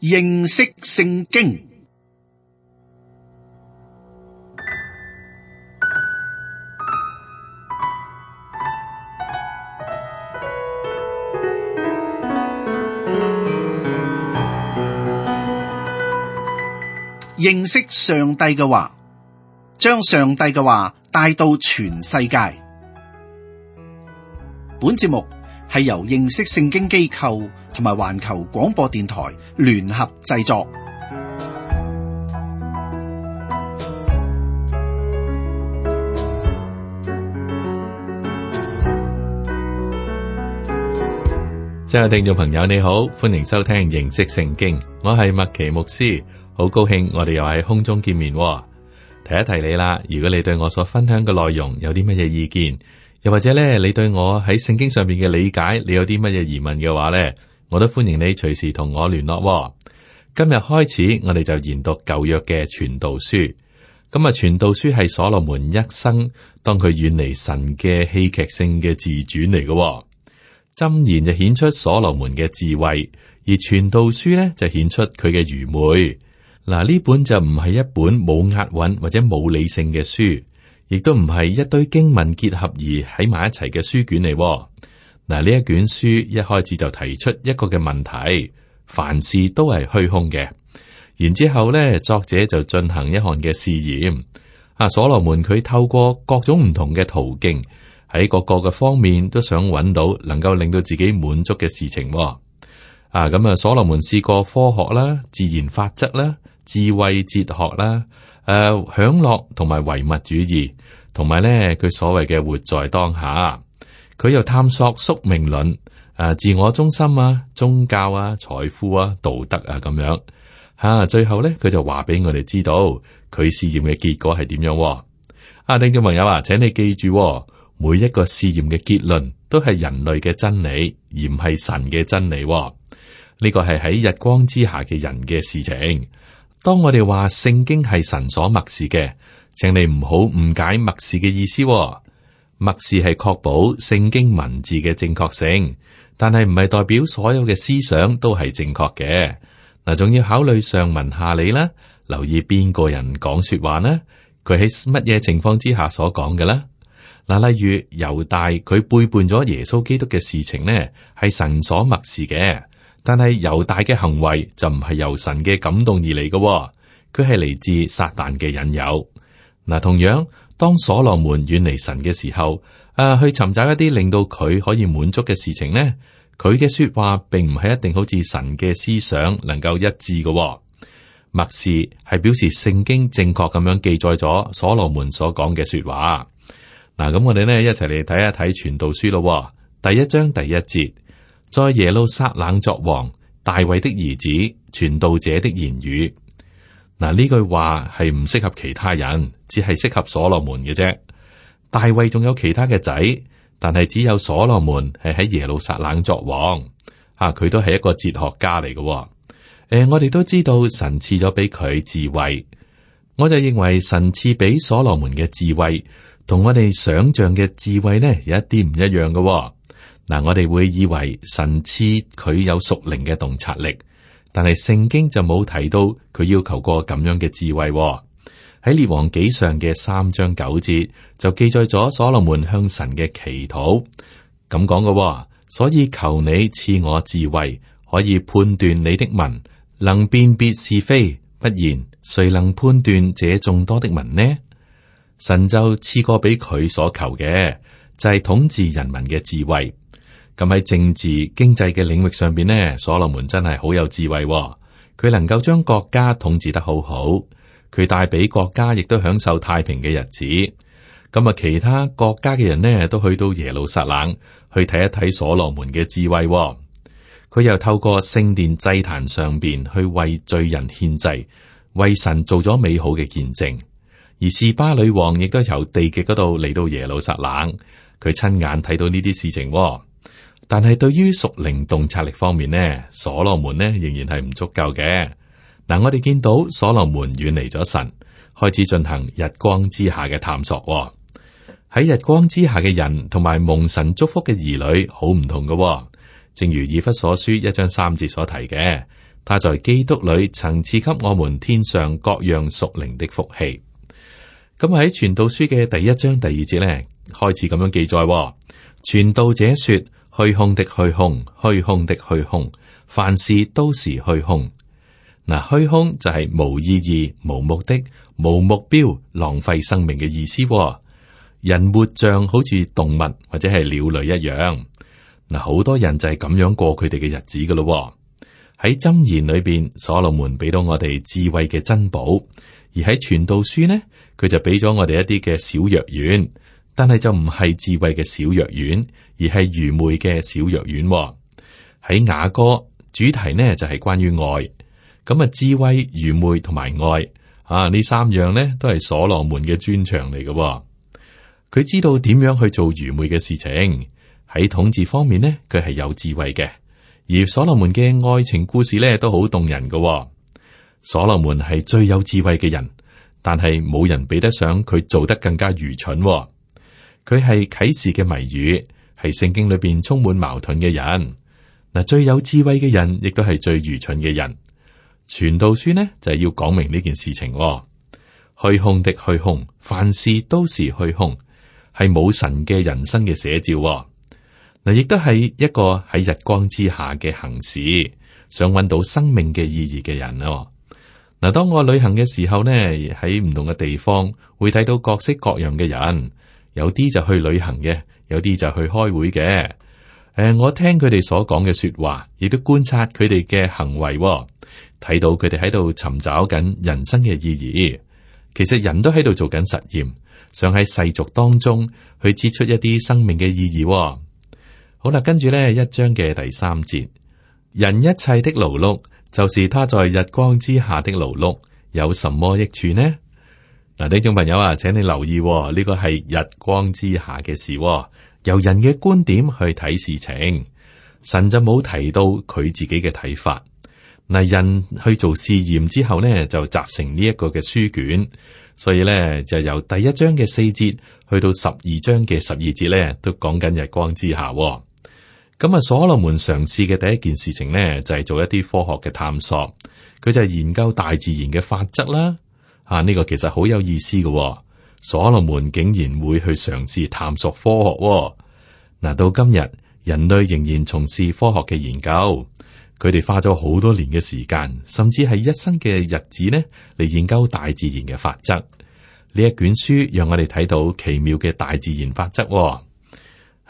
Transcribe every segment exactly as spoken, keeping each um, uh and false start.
認識聖經。認識上帝嘅話，將上帝嘅話帶到全世界。本節目係由認識聖經機構同埋環球廣播電台聯合製作。親愛的聽眾朋友，你好，歡迎收聽認識聖經，我係麥奇牧師，好高興我哋又喺空中見面。提一提你啦，如果你對我所分享嘅內容有啲乜嘢意見，又或者咧你對我喺聖經上面嘅理解，你有啲乜嘢疑問嘅話咧，我都歡迎你隨時同我聯絡。今日開始，我哋就研讀舊約嘅傳道書。咁啊，傳道書係所羅門一生當佢遠離神嘅戲劇性嘅自傳嚟嘅。箴言就顯出所羅門嘅智慧，而傳道書咧就顯出佢嘅愚昧。嗱，呢本就唔係一本冇押韻或者冇理性嘅書，亦都唔係一堆經文結合而喺埋一齊嘅書卷嚟。嗱，呢一卷書一開始就提出一個嘅問題，凡事都係虛空嘅。然之後咧，作者就進行一項嘅試驗。啊，所羅門佢透過各種唔同嘅途徑，喺各個嘅方面都想揾到能夠令到自己滿足嘅事情。啊，咁啊，所羅門試過科學啦、自然法則啦、智慧哲學啦、誒、呃、享樂同埋唯物主義，同埋咧佢所謂嘅活在當下。佢又探索宿命論、誒、啊、自我中心啊、宗教啊、財富啊、道德啊咁樣。吓、啊，最後咧佢就話俾我哋知道佢試驗嘅結果係點樣。啊，聽眾朋友啊，請你記住，每一個試驗嘅結論都係人類嘅真理，而唔係神嘅真理。呢個係喺日光之下嘅人嘅事情。當我哋話聖經係神所默示嘅，請你唔好誤解默示嘅意思。默示係確保聖經文字嘅正確性，但係唔係代表所有嘅思想都係正確嘅。嗱，仲要考慮上文下理啦，留意邊個人講說話呢？佢喺乜嘢情況之下所講嘅啦？嗱，例如猶大佢背叛咗耶穌基督嘅事情呢，係神所默示嘅。但係猶大嘅行為就唔係由神嘅感動而嚟嘅，佢係嚟自撒旦嘅引誘。嗱，同樣當所羅門遠離神嘅時候，誒、啊、去尋找一啲令到佢可以滿足嘅事情呢，佢嘅說話並唔係一定好似神嘅思想能夠一致嘅。默示係表示聖經正確咁樣記載咗所羅門所講嘅說話。嗱，咁我哋呢一齊嚟睇一睇傳道書咯。第一章第一節。在耶路撒冷作王，大衛的兒子，傳道者的言語。嗱，呢句話係唔適合其他人，只係適合所羅門嘅啫。大衛仲有其他嘅仔，但係只有所羅門係喺耶路撒冷作王。啊，佢都係一個哲學家嚟嘅。誒、呃，我哋都知道神賜咗俾佢智慧，我就認為神賜俾所羅門嘅智慧，同我哋想象嘅智慧呢，有一啲唔一樣嘅。嗱，我哋會以為神賜佢有屬靈嘅洞察力，但係聖經就冇提到佢要求過咁樣嘅智慧。喺列王紀上嘅三章九節就記載咗所羅門向神嘅祈禱，咁講嘅，所以求你賜我智慧，可以判斷你的民，能辨別是非，不然誰能判斷這眾多的民呢？神就賜過俾佢所求嘅，就係、是、統治人民嘅智慧。咁喺政治經濟嘅領域上邊呢，所羅門真係好有智慧，佢能夠將國家統治得好好，佢帶俾國家亦都享受太平嘅日子。咁啊，其他國家嘅人呢，都去到耶路撒冷去睇一睇所羅門嘅智慧。佢又透過聖殿祭壇上邊去為罪人獻祭，為神做咗美好嘅見證。而示巴女王亦都由地極嗰度嚟到耶路撒冷，佢親眼睇到呢啲事情。但係對於屬靈洞察力方面呢，所羅門呢仍然係唔足夠嘅。嗱，我哋見到所羅門遠離咗神，開始進行日光之下嘅探索。喺日光之下嘅人同埋蒙神祝福嘅兒女好唔同嘅。正如以弗所書一章三節所提嘅，他在基督裏曾賜給我們天上各樣屬靈的福氣。咁喺傳道書嘅第一章第二節咧，開始咁樣記載：傳道者說，虛空的虛空，虛空的虛空，凡事都是虛空。嗱，虛空就係無意義、無目的、無目標、浪費生命嘅意思。人活像好似動物或者係鳥類一樣。嗱，好多人就係咁樣過佢哋嘅日子噶咯。喺箴言裏邊，所羅門俾到我哋智慧嘅珍寶，而喺傳道書呢，佢就俾咗我哋一啲嘅小藥丸，但係就唔係智慧嘅小藥丸，而係愚昧嘅小藥丸。喺雅歌主題呢就係關於愛，咁啊智慧、愚昧同埋愛啊呢三樣呢都係所羅門嘅專長嚟嘅。佢知道點樣去做愚昧嘅事情，喺統治方面呢佢係有智慧嘅，而所羅門嘅愛情故事呢都好動人嘅。所羅門係最有智慧嘅人，但係冇人比得上佢做得更加愚蠢。佢係啟示嘅謎語，係聖經裏邊充滿矛盾嘅人。嗱，最有智慧嘅人亦都係最愚蠢嘅人。傳道書呢就係要講明呢件事情。虛空的虛空，凡事都是虛空。係冇神嘅人生嘅寫照。嗱，亦都係一個喺日光之下嘅行事，想揾到生命嘅意義嘅人咯。嗱，當我旅行嘅時候呢，喺唔同嘅地方會睇到各式各樣嘅人，有啲就去旅行嘅，有啲就去開會嘅。誒，我聽佢哋所講嘅說話，亦都觀察佢哋嘅行為，睇到佢哋喺度尋找緊人生嘅意義。其實人都喺度做緊實驗。想喺世俗當中去接出一啲生命嘅意義。好啦，跟住呢一章嘅第三節，人一切的勞碌，就是他在日光之下的勞碌，有什麼益處呢？嗱，呢種朋友啊，請你留意，呢個係日光之下嘅事，由人嘅觀點去睇事情，神就冇提到佢自己嘅睇法。嗱，人去做試驗之後呢，就集成呢一個嘅書卷。所以咧，就由第一章嘅四節去到十二章嘅十二節咧，都講緊日光之下。咁啊，所羅門嘗試嘅第一件事情咧，就係做一啲科學嘅探索。佢就係研究大自然嘅法則啦。啊，呢個其實好有意思嘅。所羅門竟然會去嘗試探索科學。嗱，到今日，人類仍然從事科學嘅研究。佢哋花咗好多年嘅時間，甚至係一生嘅日子呢，嚟研究大自然嘅法則。呢一卷書讓我哋睇到奇妙嘅大自然法則。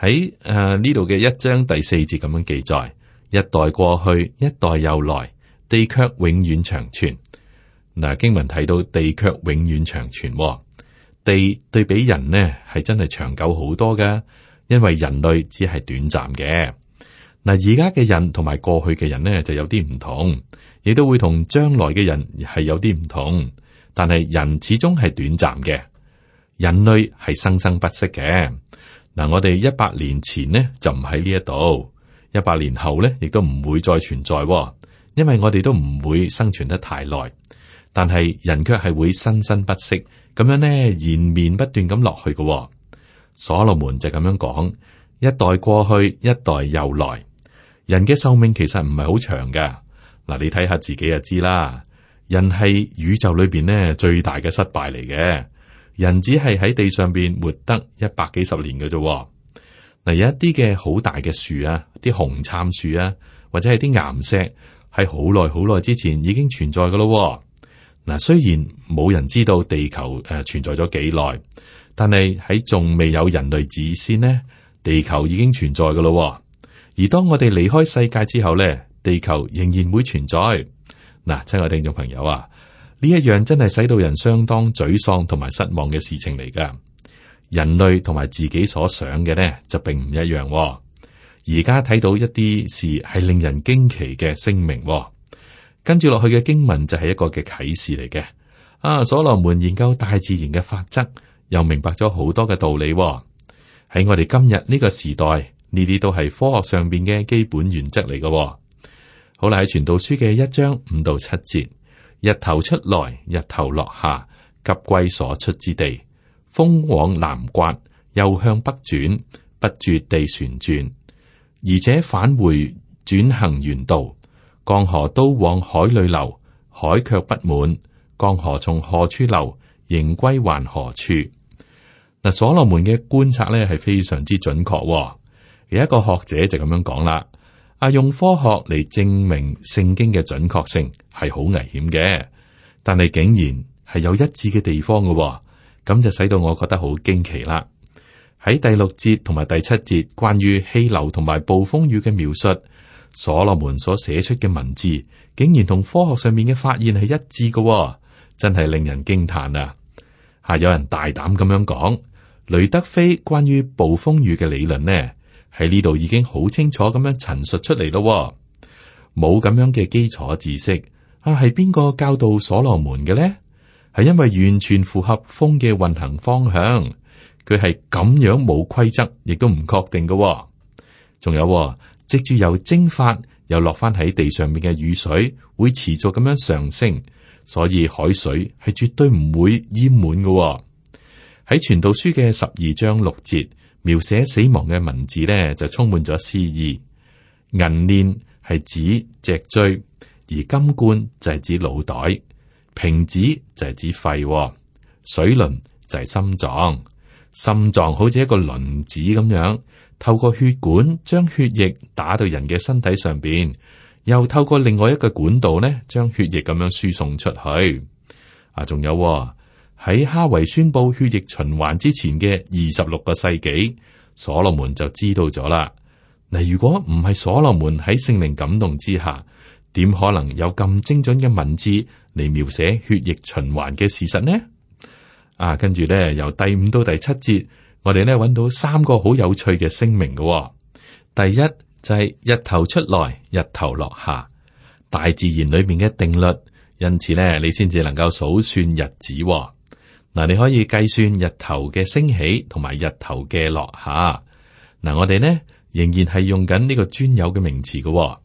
喺誒呢度嘅一章第四節咁樣記載：一代過去，一代又來，地卻永遠長存。嗱，經文睇到地卻永遠長存，地對比人呢係真係長久好多㗎，因為人類只係短暫嘅。嗱，而家嘅人同埋過去嘅人呢就有啲唔同，亦都會同將來嘅人係有啲唔同。但係人始終係短暫嘅，人類係生生不息嘅。嗱，我哋一百年前呢就唔喺呢一度，一百年後呢亦都唔會再存在，因為我哋都唔會生存得太耐。但係人卻係會生生不息，咁樣呢延綿不斷咁落去嘅。所羅門就咁樣講：一代過去，一代又來。人嘅壽命其實唔係好長噶，嗱，你睇下自己就知啦。人係宇宙裏邊呢最大嘅失敗嚟嘅，人只係喺地上邊活得一百幾十年嘅啫。嗱，有一啲嘅好大嘅樹啊，啲紅杉樹啊，或者係啲岩石，係好耐好耐之前已經存在噶咯。嗱，雖然冇人知道地球誒存在咗幾耐，但係喺仲未有人類之先呢，地球已經存在噶咯。而當我哋離開世界之後咧，地球仍然會存在。嗱，親愛聽眾朋友啊，呢一樣真係使到人相當沮喪同埋失望嘅事情嚟噶。人類同埋自己所想嘅呢，就並唔一樣。而家睇到一啲事係令人驚奇嘅聲明。跟住落去嘅經文就係一個嘅啟示嚟嘅。啊，所羅門研究大自然嘅法則，又明白咗好多嘅道理。喺我哋今日呢個時代，呢啲都係科學上邊嘅基本原則嚟嘅。好啦，喺傳道書嘅一章五到七節，日頭出來，日頭落下，急歸所出之地。風往南刮，又向北轉，不絕地旋轉，而且返回轉行原道。江河都往海裏流，海卻不滿。江河從何處流，仍歸還何處。嗱，所羅門嘅觀察咧係非常之準確，哦。有一個學者就咁樣講啦，啊，用科學嚟證明聖經嘅準確性係好危險嘅，但係竟然係有一致嘅地方嘅，哦，咁就使到我覺得好驚奇啦。喺第六節同埋第七節關於氣流同埋暴風雨嘅描述，所羅門所寫出嘅文字竟然同科學上面嘅發現係一致嘅，哦，真係令人驚嘆啊！吓，有人大膽咁樣講，雷德菲關於暴風雨嘅理論呢，喺呢度已經好清楚咁樣陳述出嚟咯。冇咁樣嘅基礎知識啊，係邊個教導所羅門嘅呢？係因為完全符合風嘅運行方向，佢係咁樣冇規則，亦都唔確定嘅。仲有，藉住由蒸發又落翻喺地上面嘅雨水，會持續咁樣上升，所以海水係絕對唔會淹滿嘅。喺傳道書嘅十二章六節，描寫死亡嘅文字呢，就充滿咗詩意。銀鏈係指脊椎，而金冠就係指腦袋，瓶子就係指肺，水輪就係心臟。心臟好似一個輪子咁樣，透過血管將血液打到人嘅身體上邊，又透過另外一個管道呢，將血液咁樣輸送出去。啊，仲有喺哈維宣布血液循環之前嘅二十六個世紀，所羅門就知道咗啦。嗱，如果唔係所羅門喺聖靈感動之下，點可能有咁精準嘅文字嚟描寫血液循環嘅事實呢？啊，跟住咧，由第五到第七節，我哋咧揾到三個好有趣嘅聲明嘅，哦。第一就係、是、日頭出來，日頭落下，大自然裏面嘅定律，因此咧，你先至能夠數算日子，哦。嗱，你可以計算日頭嘅升起同埋日頭嘅落下。嗱，我哋呢仍然係用緊呢個專有嘅名詞嘅，哦。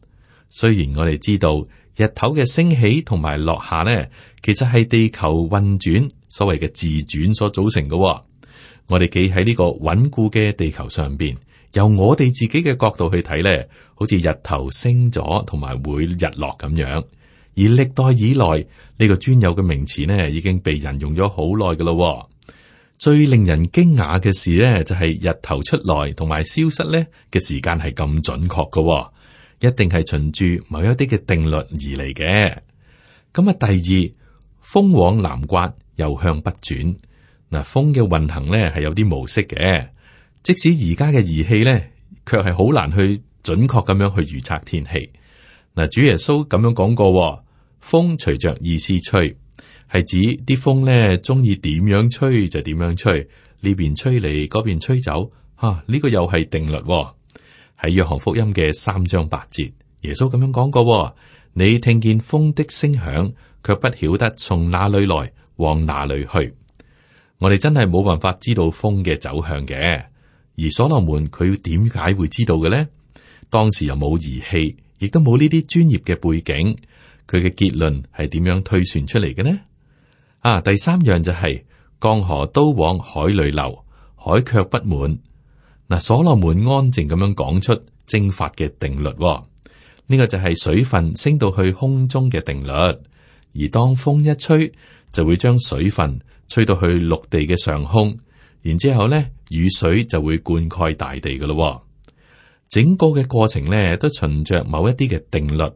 雖然我哋知道日頭嘅升起同埋落下呢，其實係地球運轉所謂嘅自轉所組成嘅，哦。我哋企喺呢個穩固嘅地球上邊，由我哋自己嘅角度去睇呢，好似日頭升咗同埋會日落咁樣。而歷代以來呢，這個專有嘅名詞呢，已經被人用咗好耐㗎咯。最令人驚訝嘅事呢，就係、是、日頭出來同埋消失呢嘅時間係咁準確㗎，一定係循住某一啲嘅定律而嚟嘅。咁啊，第二，風往南刮，又向北轉。嗱，風嘅運行呢係有啲模式嘅，即使而家嘅儀器呢，卻係好難去準確咁樣去預測天氣。嗱，主耶穌咁樣講過，風隨着意思吹，係指啲風呢中意點樣吹就點樣吹，呢邊吹嚟，嗰邊吹走。吓、啊，呢、這個又係定律。喺約翰福音嘅三章八節，耶穌咁樣講過：你聽見風的聲響，卻不曉得從哪裏來，往哪裏去。我哋真係冇辦法知道風嘅走向嘅，而所羅門佢點解會知道嘅呢？當時又冇儀器，亦都冇呢啲專業嘅背景，佢嘅結論係點樣推算出嚟嘅呢？啊，第三樣就係、是、江河都往海裏流，海卻不滿。嗱，所羅門安靜咁樣講出蒸發嘅定律，呢、這個就係水分升到去空中嘅定律，而當風一吹，就會將水分吹到去陸地嘅上空，然之後咧，雨水就會灌溉大地噶咯。整個嘅過程咧，都循着某一啲嘅定律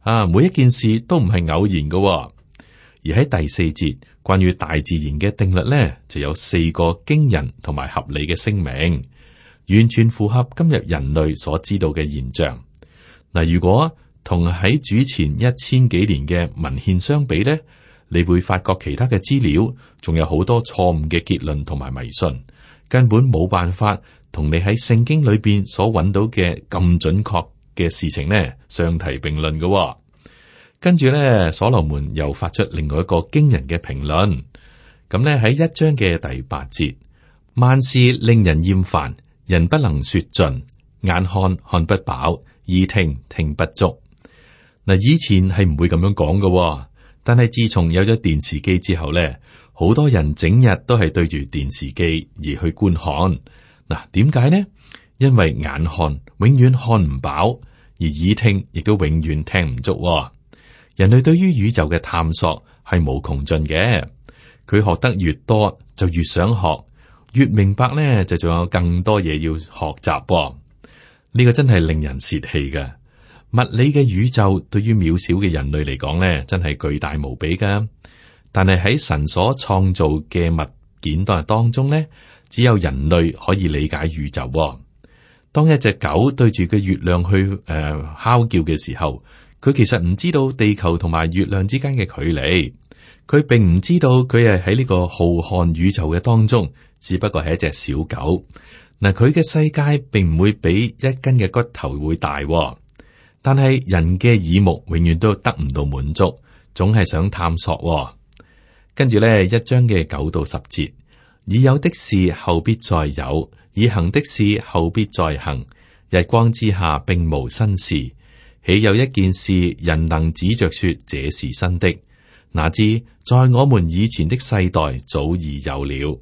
啊，每一件事都唔係偶然噶。而喺第四節關於大自然嘅定律咧，就有四個驚人同埋合理嘅聲明，完全符合今日人類所知道嘅現象。嗱，如果同喺主前一千幾年嘅文獻相比咧，你會發覺其他嘅資料仲有好多錯誤嘅結論同埋迷信，根本冇辦法同你喺聖經裏邊所揾到嘅咁準確嘅事情呢相提並論嘅。跟住咧，所羅門又發出另外一個驚人嘅評論。咁咧喺一章嘅第八節，萬事令人厭煩，人不能說盡，眼看看不飽，耳聽聽不足。嗱，以前係唔會咁樣講嘅，但係自從有咗電視機之後咧，好多人整日都係對住電視機而去觀看。嗱，點解呢？因為眼看永遠看唔飽，而耳聽亦都永遠聽唔足喎。人類對於宇宙嘅探索係無窮盡嘅，佢學得越多就越想學，越明白咧就仲有更多嘢要學習喎。呢個真係令人泄氣嘅。物理嘅宇宙對於渺小嘅人類嚟講咧，真係巨大無比噶。但係喺神所創造嘅物件當中咧，只有人類可以理解宇宙喎。當一隻狗對住個月亮去誒、呃、嚎叫嘅時候，佢其實唔知道地球同埋月亮之間嘅距離，佢並唔知道佢係喺呢個浩瀚宇宙嘅當中，只不過係一隻小狗。嗱，佢嘅世界並唔會比一根嘅骨頭會大，但係人嘅耳目永遠都得唔到滿足，總係想探索。跟住咧，一章嘅九到十節，已有的事後必再有，已行的事後必再行，日光之下並無新事。豈有一件事人能指着說這是新的？哪知在我們以前的世代早已有了。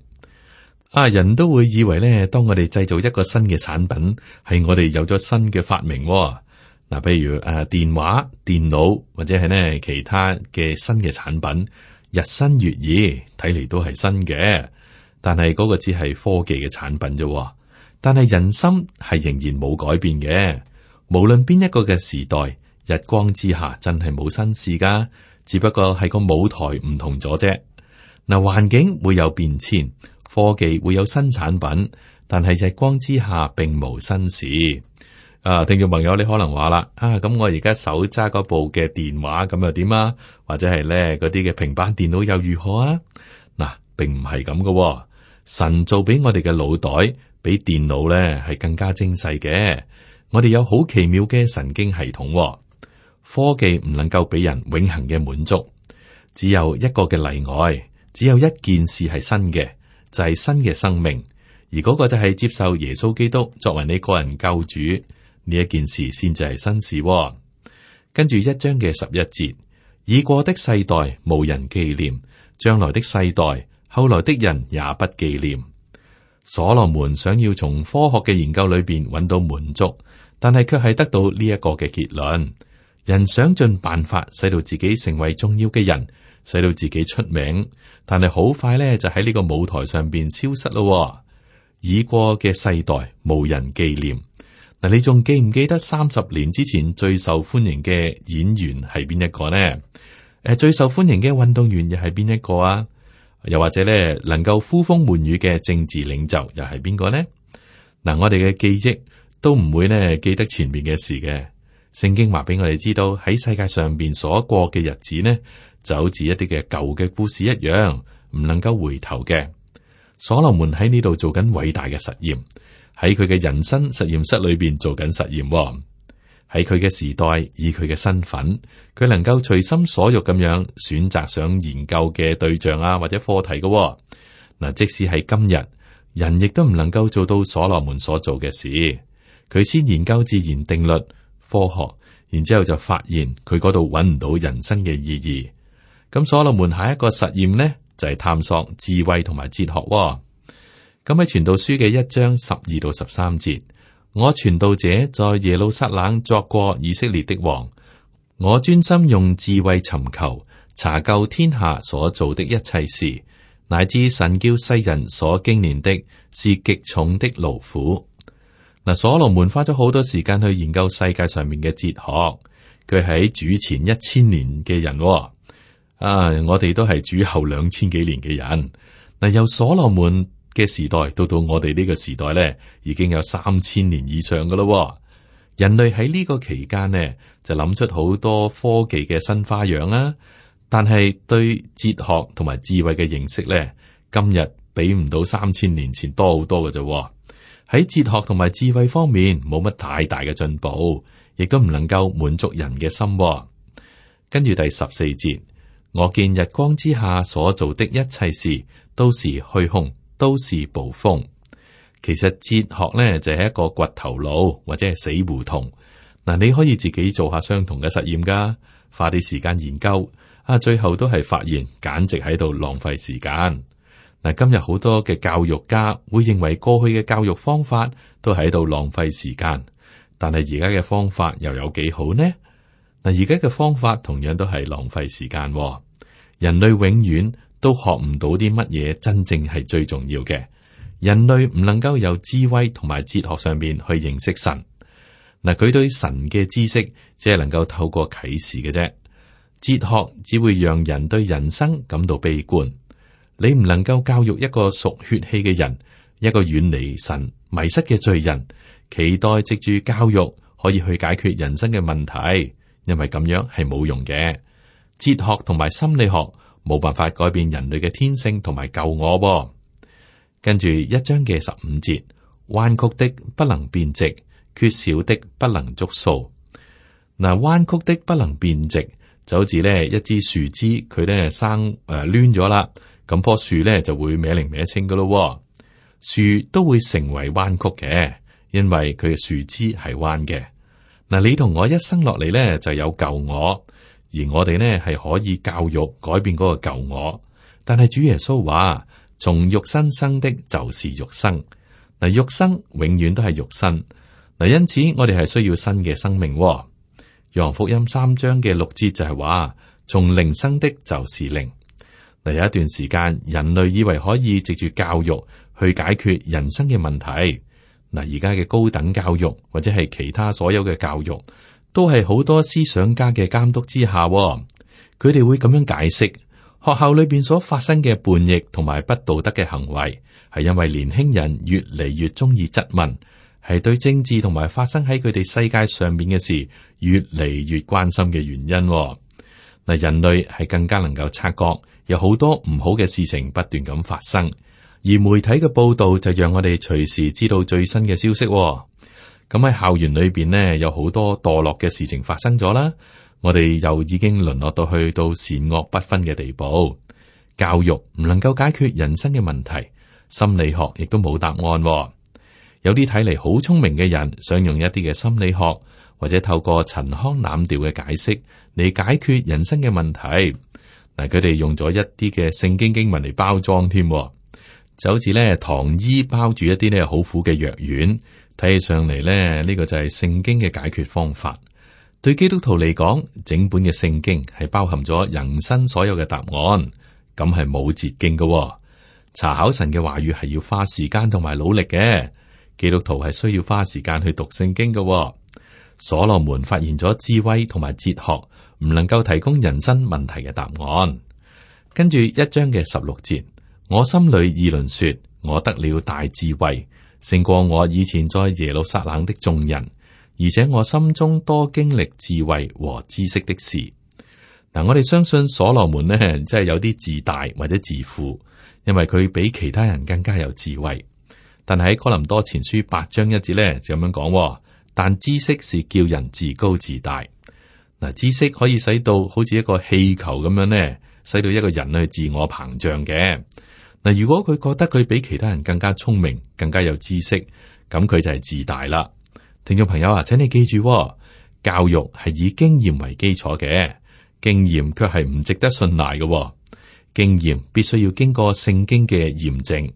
啊，人都會以為咧，當我哋製造一個新嘅產品，係我哋有咗新嘅發明。嗱，譬如誒電話、電腦或者係呢其他嘅新嘅產品，日新月異，睇嚟都係新嘅。但係嗰個只係科技嘅產品啫。但係人心係仍然冇改變嘅。無論邊一個嘅時代，日光之下真係冇新事噶，只不過係個舞台唔同咗啫。嗱，環境會有變遷，科技會有新產品，但係日光之下並無新事。啊，聽眾朋友，你可能話啦，啊，咁我而家手揸嗰部嘅電話咁又點啊？或者係咧嗰啲嘅平板電腦又如何啊？嗱，並唔係咁噶。神做俾我哋嘅腦袋，比電腦咧係更加精細嘅。我哋有好奇妙嘅神經系統，哦，科技唔能夠俾人永恆嘅滿足，只有一個嘅例外，只有一件事係新嘅，就係、是、新嘅生命，而嗰個就係接受耶穌基督作為你個人救主，呢一件事先至係新事，哦。跟住一章嘅十一節，已過的世代無人紀念，將來的世代後來的人也不紀念。所羅門想要從科學嘅研究裏邊揾到滿足。但係卻係得到呢一個嘅結論，人想盡辦法使到自己成為重要嘅人，使到自己出名，但係好快咧就喺呢個舞台上邊消失咯。已過嘅世代無人紀念。嗱，你仲記唔記得三十年之前最受歡迎嘅演員係邊一個呢？誒，最受歡迎嘅運動員又係邊一個啊？又或者咧，能夠呼風喚雨嘅政治領袖又係邊個呢？嗱，我哋嘅記憶都唔會呢記得前面嘅事嘅。聖經話俾我哋知道，喺世界上邊所過嘅日子呢，就好似一啲嘅舊嘅故事一樣，唔能夠回頭嘅。所羅門喺呢度做緊偉大嘅實驗，喺佢嘅人生實驗室裏邊做緊實驗。喺佢嘅時代，以佢嘅身份，佢能夠隨心所欲咁樣選擇想研究嘅對象啊，或者課題嘅。嗱，即使係今日，人亦都唔能夠做到所羅門所做嘅事。佢先研究自然定律、科學，然之後就發現佢嗰度揾唔到人生嘅意義。咁所羅門下一個實驗呢，就係、是、探索智慧同埋哲學、哦。咁喺傳道書嘅一章十二到十三節，我傳道者在耶路撒冷作過以色列的王，我專心用智慧尋求查究天下所做的一切事，乃至神叫世人所經練的是極重的勞苦。嗱，所羅門花咗好多時間去研究世界上面嘅哲學，佢喺主前一千年嘅人、哦，啊，我哋都係主後兩千幾年嘅人。嗱，由所羅門嘅時代到到我哋呢個時代咧，已經有三千年以上噶咯。人類喺呢個期間呢，就諗出好多科技嘅新花樣啦，但係對哲學同埋智慧嘅認識咧，今日比唔到三千年前多好多嘅啫。喺哲學同埋智慧方面冇乜太大嘅進步，亦都唔能夠滿足人嘅心。跟住第十四節，我見日光之下所做的一切事都是虛空，都是捕風。其實哲學咧就係一個掘頭路或者係死胡同。嗱，你可以自己做下相同嘅實驗噶，花啲時間研究啊，最後都係發現簡直喺度浪費時間。嗱，今日好多嘅教育家會認為過去嘅教育方法都喺度浪費時間，但係而家嘅方法又有幾好呢？嗱，而家嘅方法同樣都係浪費時間。人類永遠都學唔到啲乜嘢真正係最重要嘅。人類唔能夠由智慧同埋哲學上面去認識神。嗱，佢對神嘅知識只係能夠透過啟示嘅啫。哲學只會讓人對人生感到悲觀。你唔能夠教育一個屬血氣嘅人，一個遠離神迷失嘅罪人，期待藉住教育可以去解決人生嘅問題，因為咁樣係冇用嘅。哲學同埋心理學冇辦法改變人類嘅天性同埋救我噃。跟住一章嘅十五節，彎曲的不能變直，缺少的不能捉數。嗱，彎曲的不能變直，就好似咧一支樹枝，佢咧生誒攣咗啦，咁棵樹咧就會歪零歪清噶咯。樹都會成為彎曲嘅，因為佢嘅樹枝係彎嘅。嗱，你同我一生落嚟咧就有舊我，而我哋呢係可以教育改變嗰個舊我。但係主耶穌話，從肉身生的就是肉身。嗱，肉身永遠都係肉身。嗱，因此我哋係需要新嘅生命。約翰福音三章嘅六節就係話，從靈生的就是靈。嗱，有一段時間，人類以為可以藉住教育去解決人生嘅問題。嗱，而家嘅高等教育或者係其他所有嘅教育，都係好多思想家嘅監督之下，佢哋會咁樣解釋學校裏邊所發生嘅叛逆同埋不道德嘅行為，係因為年輕人越嚟越中意質問，係對政治同埋發生喺佢哋世界上面嘅事越嚟越關心嘅原因。嗱，人類係更加能夠察覺有好多唔好嘅事情不斷咁發生，而媒體嘅報道就讓我哋隨時知道最新嘅消息。咁喺校園裏邊呢，有好多墮落嘅事情發生咗啦。我哋又已經淪落到去到善惡不分嘅地步。教育唔能夠解決人生嘅問題，心理學亦都冇答案。有啲睇嚟好聰明嘅人，想用一啲嘅心理學或者透過陳腔濫調嘅解釋嚟解決人生嘅問題。嗱，佢哋用咗一啲嘅聖經經文嚟包裝添，就好似咧糖衣包住一啲咧好苦嘅藥丸。睇起上嚟咧，呢個就係聖經嘅解決方法。對基督徒嚟講，整本嘅聖經係包含咗人生所有嘅答案，咁係冇捷徑嘅。查考神嘅話語係要花時間同埋努力嘅。基督徒係需要花時間去讀聖經嘅。所羅門發現咗智慧同埋哲學唔能夠提供人生問題嘅答案。跟住一章嘅十六節，我心裏議論說，我得了大智慧，勝過我以前在耶路撒冷的眾人，而且我心中多經歷智慧和知識的事。嗱，我哋相信所羅門呢，真係有啲自大或者自負，因為佢比其他人更加有智慧。但係喺哥林多前書八章一節咧就咁樣講，但知識是叫人自高自大。嗱，知識可以使到好似一個氣球咁樣呢，使到一個人去自我膨脹嘅。嗱，如果佢覺得佢比其他人更加聰明、更加有知識，咁佢就係自大啦。聽眾朋友啊，請你記住，教育係以經驗為基礎嘅，經驗卻係唔值得信賴嘅。經驗必須要經過聖經嘅驗證，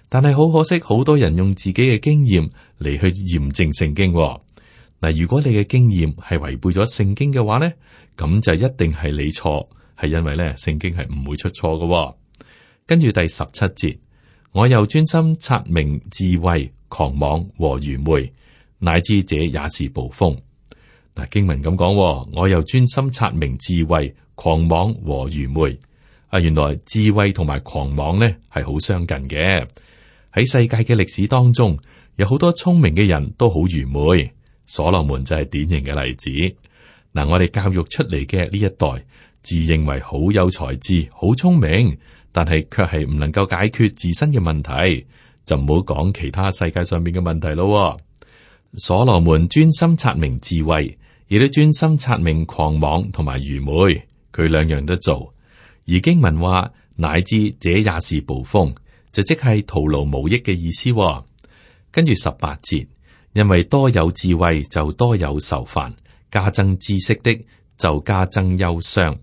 但係好可惜，好多人用自己嘅經驗嚟去驗證聖經。嗱，如果你嘅經驗係違背咗聖經嘅話呢，咁就一定係你錯，係因為咧聖經係唔會出錯嘅。跟住第十七節，我又專心察明智慧、狂妄和愚昧，乃知這也是捕風。嗱，經文咁講，我又專心察明智慧、狂妄和愚昧。啊，原來智慧同埋狂妄咧係好相近嘅。喺世界嘅歷史當中，有好多聰明嘅人都好愚昧，所羅門就係典型嘅例子。嗱，我哋教育出嚟嘅呢一代，自認為好有才智、好聰明，但係卻係唔能夠解決自身嘅問題，就唔好講其他世界上面嘅問題咯。所羅門專心察明智慧，亦都專心察明狂妄同埋愚昧，佢兩樣都做。而經文話，乃知這也是捕風，就即係徒勞無益嘅意思。跟住十八節，因為多有智慧就多有愁煩，加增知識的就加增憂傷。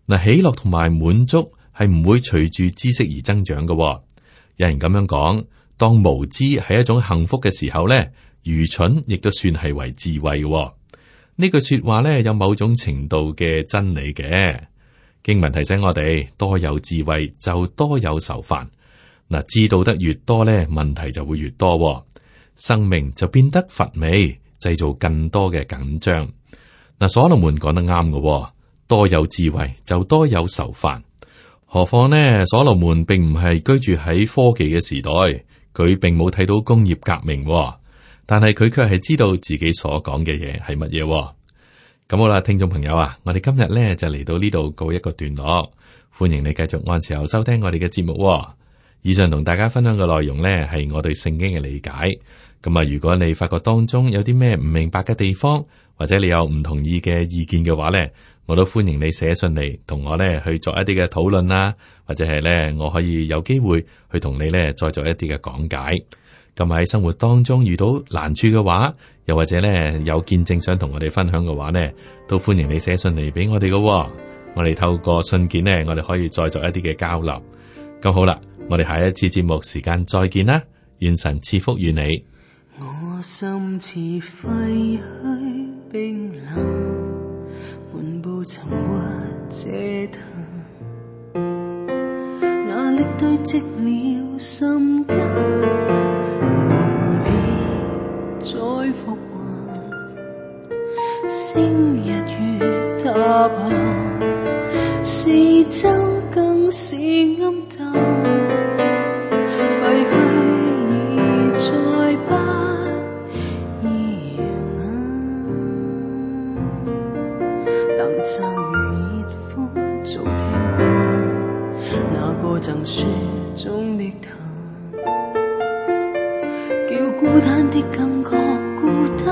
嗱，喜樂同埋滿足係唔會隨住知識而增長嘅。有人咁樣講，當無知係一種幸福嘅時候咧，愚蠢亦都算係為智慧嘅。呢句說話咧有某種程度嘅真理嘅。經文提醒我哋，多有智慧就多有愁煩。嗱，知道得越多咧，問題就會越多，生命就變得乏味，製造更多嘅緊張。嗱，所羅門講得啱嘅，多有智慧就多有愁煩。何況呢，所羅門並唔係居住喺科技嘅時代，佢並冇睇到工業革命，但係佢卻係知道自己所講嘅嘢係乜嘢。咁好啦，聽眾朋友啊，我哋今日咧就嚟到呢度告一個段落，歡迎你繼續按時候收聽我哋嘅節目。以上同大家分享嘅內容呢，係我對聖經嘅理解。咁啊，如果你發覺當中有啲咩唔明白嘅地方，或者你有唔同意嘅意見嘅話呢，我都歡迎你寫信嚟同我呢去作一啲嘅討論啦，或者係呢，我可以有機會去同你呢再做一啲嘅講解。咁喺生活當中遇到難處嘅話，又或者呢有見證想同我哋分享嘅話呢，都歡迎你寫信嚟俾我哋嘅。我哋透過信件呢，我哋可以再作一啲嘅交流。咁好啦。我哋下一次節目時間再見啦，願神賜福與你。我心似廢墟冰冷，滿布沉鬱嗟嘆，壓力堆積了心間，無力再復還，星日月塌下，四周更是暗淡。廢墟已再不耀眼，冷驟雨熱風早聽過，那個贈雪中的他，叫孤單的感覺孤單。